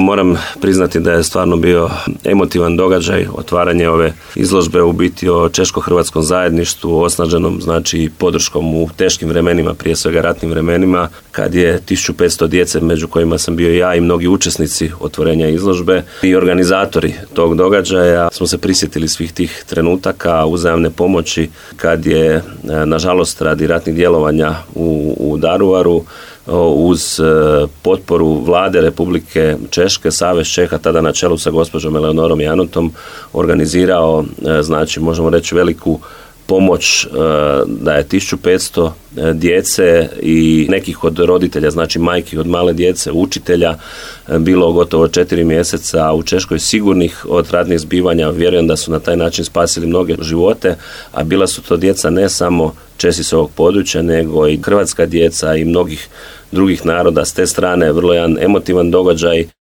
moram priznati da je stvarno bio emotivan događaj, otvaranje ove izložbe u biti o češko-hrvatskom zajedništvu, osnaženom znači podrškom u teškim vremenima, prije svega ratnim vremenima, kad je 1500 djece, među kojima sam bio ja i mnogi učesnici otvorenja izložbe i organizatori tog događaja, smo se prisjetili svih tih trenutaka uzajamne pomoći kad je, nažalost, radi ratnih djelovanja u Daruvaru, uz potporu vlade Republike Češke, Savez Čeha, tada na čelu sa gospođom Eleonorom Janotom, organizirao, znači možemo reći, veliku pomoć, da je 1500 djece i nekih od roditelja, znači majki od male djece, učitelja, bilo gotovo 4 mjeseca u Češkoj sigurnih od ratnih zbivanja. Vjerujem da su na taj način spasili mnoge živote, a bila su to djeca ne samo Česi s ovog područja, nego i hrvatska djeca i mnogih drugih naroda. S te strane vrlo jedan emotivan događaj.